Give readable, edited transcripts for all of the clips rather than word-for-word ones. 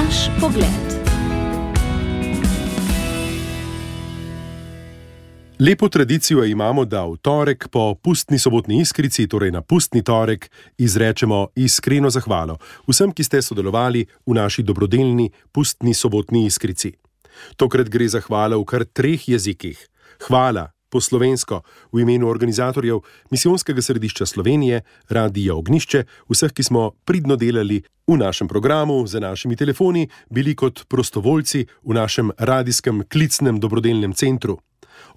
Naš pogled. Lepo tradicijo imamo, da v torek po pustni sobotni iskrici, torej na pustni torek, izrečemo iskreno zahvalo vsem, ki ste sodelovali v naši dobrodelni pustni sobotni iskrici. Tokrat gre za hvala v kar 3 jezikih. Hvala po slovensko v imenu organizatorjev Misijonskega središča Slovenije, Radia Ognjišče, vseh, ki smo pridno delali v našem programu, za našimi telefoni, bili kot prostovoljci v našem radijskem klicnem dobrodelnem centru.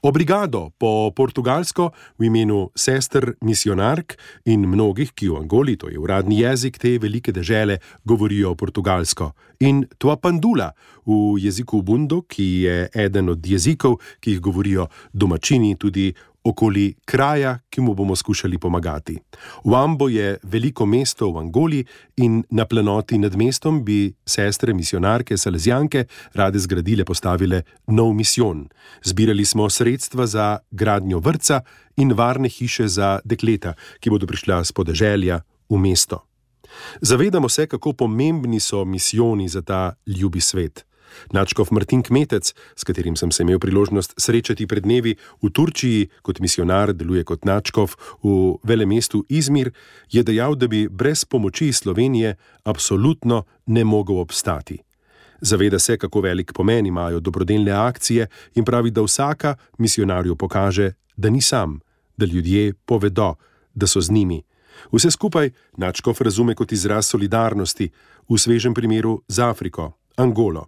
Obrigado po portugalsko v imenu sester misionark in mnogih, ki v Angoli, to je uradni jezik te velike dežele, govorijo portugalsko. In tua pandula v jeziku Bundo, ki je eden od jezikov, ki jih govorijo domačini tudi okoli kraja, ki mu bomo skušali pomagati. Huambo je veliko mesto v Angoli in na planoti nad mestom bi sestre misionarke Salezijanke rade zgradile, postavile nov misijon. Zbirali smo sredstva za gradnjo vrtca in varne hiše za dekleta, ki bodo prišla s podeželja v mesto. Zavedamo se, kako pomembni so misijoni za ta ljubi svet. Nadškof Martin Kmetec, s katerim sem se imel priložnost srečati pred dnevi v Turčiji, kot misionar deluje kot nadškof v velemestu Izmir, je dejal, da bi brez pomoči Slovenije absolutno ne mogel obstati. Zaveda se, kako velik pomen imajo dobrodelne akcije in pravi, da vsaka misionarju pokaže, da ni sam, da ljudje povedo, da so z njimi. Vse skupaj nadškof razume kot izraz solidarnosti, v svežem primeru z Afriko, Angolo.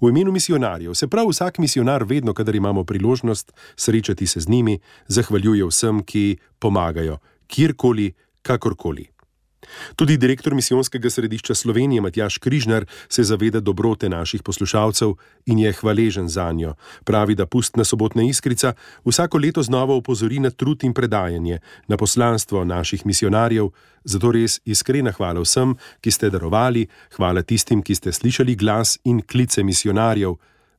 V imenu misionarjev se prav vsak misionar vedno, kadar imamo priložnost srečati se z njimi, zahvaljuje vsem, ki pomagajo, kjerkoli, kakorkoli. Tudi direktor Misijonskega središča Slovenije Matjaž Križnar se zaveda dobrote naših poslušalcev in je hvaležen zanjo. Pravi, da pustna sobotna iskrica vsako leto znova opozori na trud in predajanje, na poslanstvo naših misionarjev, zato res iskrena hvala vsem, ki ste darovali, hvala tistim, ki ste slišali glas in klice misionarjev.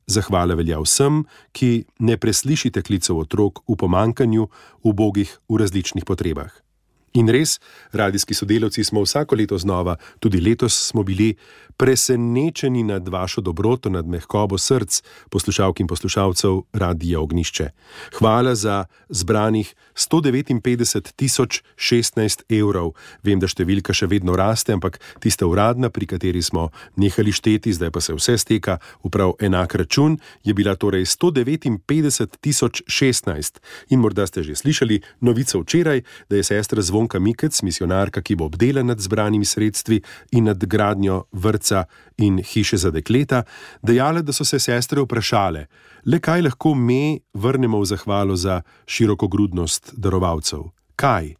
Zahvala velja vsem, ki ne preslišite klicev otrok v pomankanju, ubogih v različnih potrebah. In res, radijski sodelavci smo vsako leto znova, tudi letos smo bili presenečeni nad vašo dobroto, nad mehkobo src poslušalk in poslušalcev Radija Ognjišče. Hvala za zbranih 159.016 evrov. Vem, da številka še vedno raste, ampak tista uradna, pri kateri smo nehali šteti, zdaj pa se vse steka v prav enak račun, je bila torej 159.016. In morda ste že slišali novico včeraj, da je sestra Zvonka Mikec, misionarka, ki bo obdela nad zbranimi sredstvi in nad gradnjo vrtca in hiše za dekleta, dejala, da so se sestre vprašale, le kaj lahko me vrnemo v zahvalo za širokogrudnost darovalcev. Kaj?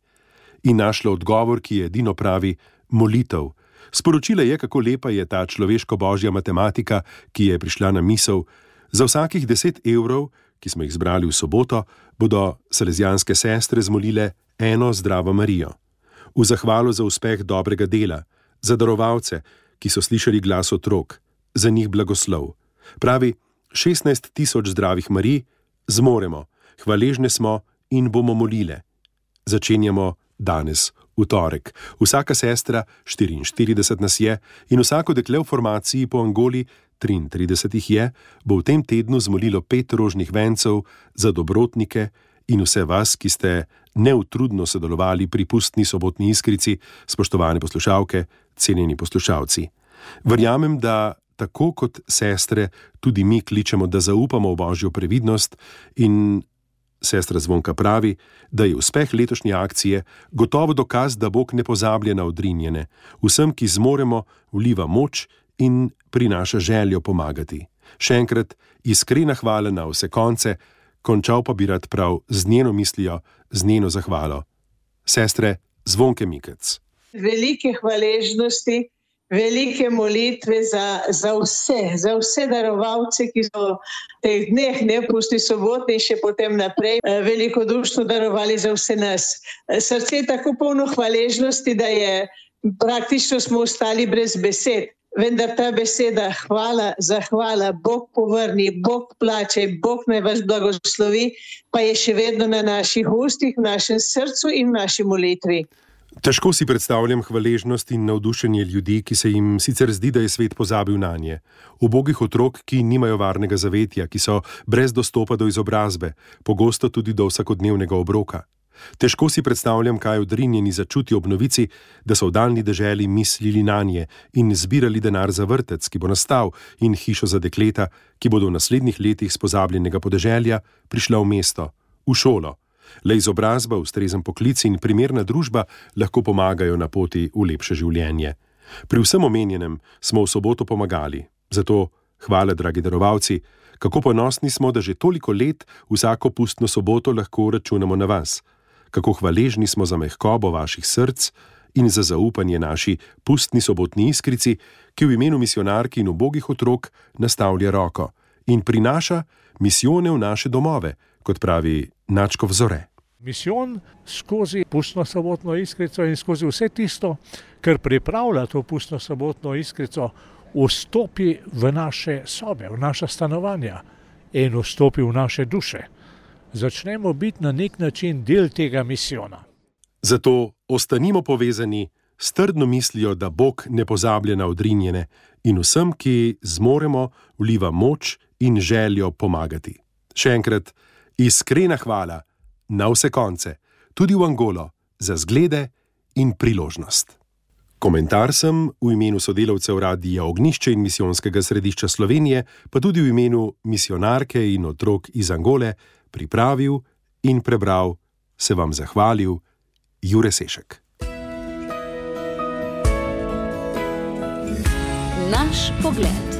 In našla odgovor, ki je edino pravi, molitev. Sporočila je, kako lepa je ta človeško-božja matematika, ki je prišla na misel. Za vsakih 10 evrov, ki smo jih zbrali v soboto, bodo salezijanske sestre zmolile eno Zdravo Marijo. V zahvalo za uspeh dobrega dela, za darovalce, ki so slišali glas otrok, za njih blagoslov. Pravi, 16.000 zdravih Marij zmoremo, hvaležne smo in bomo molile. Začenjamo danes, v torek. Vsaka sestra, 44 nas je, in vsako dekle v formaciji po Angoli, 33 jih je, bo v tem tednu zmolilo 5 rožnih vencev za dobrotnike in vse vas, ki ste neutrudno sodelovali pri pustni sobotni iskrici, spoštovane poslušalke, cenjeni poslušalci. Verjamem, da tako kot sestre tudi mi kličemo, da zaupamo v Božjo previdnost in sestra Zvonka pravi, da je uspeh letošnje akcije gotovo dokaz, da Bog ne pozablja na odrinjene. Vsem, ki zmoremo, vliva moč in prinaša željo pomagati. Še enkrat iskrena hvala na vse konce, končal pa bi rad prav z njeno mislijo, z njeno zahvalo. Sestre Zvonke Mikec. Velike hvaležnosti, velike molitve za vse darovalce, ki so v teh dneh, pustni sobotni in še potem naprej, velikodušno darovali za vse nas. Srce je tako polno hvaležnosti, da je praktično smo ostali brez besed. Vendar ta beseda hvala, zahvala, Bog povrni, Bog plače, Bog naj vas blagoslovi, pa je še vedno na naših ustih, v našem srcu in v naši molitvi. Težko si predstavljam hvaležnost in navdušenje ljudi, ki se jim sicer zdi, da je svet pozabil nanje. Ubogih otrok, ki nimajo varnega zavetja, ki so brez dostopa do izobrazbe, pogosto tudi do vsakodnevnega obroka. Težko si predstavljam, kaj odrinjeni začutijo ob novici, da so v daljni deželi mislili nanje in zbirali denar za vrtec, ki bo nastal, in hišo za dekleta, ki bodo v naslednjih letih s pozabljenega podeželja prišla v mesto, v šolo. Le izobrazba, ustrezen poklic in primerna družba lahko pomagajo na poti v lepše življenje. Pri vsem omenjenem smo v soboto pomagali. Zato hvala, dragi darovalci, kako ponosni smo, da že toliko let vsako pustno soboto lahko računamo na vas. Kako hvaležni smo za mehkobo vaših src in za zaupanje naši pustni sobotni iskrici, ki v imenu misijonark in ubogih otrok nastavlja roko in prinaša misijone v naše domove, kot pravi Načkov Zore. Misijon skozi pustno sobotno iskrico in skozi vse tisto, kar pripravlja to pustno sobotno iskrico, vstopi v naše sobe, v naša stanovanja in vstopi v naše duše. Začnemo biti na nek način del tega misijona. Zato ostanimo povezani s trdno mislijo, da Bog ne pozablja na odrinjene in vsem, ki zmoremo, vliva moč in željo pomagati. Še enkrat, iskrena hvala na vse konce, tudi v Angolo, za zglede in priložnost. Komentar sem v imenu sodelavcev Radia Ognjišče in Misijonskega središča Slovenije, pa tudi v imenu misijonarke in otrok iz Angole, pripravil in prebral, se vam zahvalil, Jure Sešek. Naš pogled.